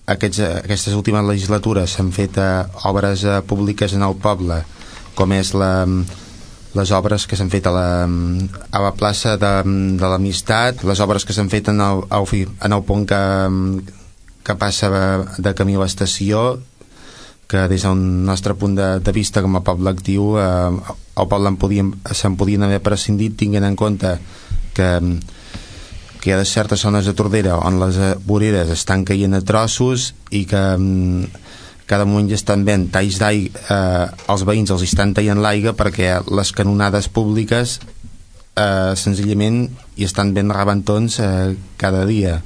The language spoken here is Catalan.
aquestes últimes legislatures s'han fet obres públiques en el poble, com és les obres que s'han fet a la plaça de l'Amistat, les obres que s'han fet en el pont que passa de camí a l'estació, que des del nostre punt de vista com a poble actiu el poble se'n podien haver prescindit, tenint en compte que hi ha certes zones de Tordera on les voreres estan caient a trossos i que cada moment ja estan ben talls d'aigua, els veïns els estan tallant l'aigua perquè les canonades públiques senzillament hi estan ben rebentons cada dia.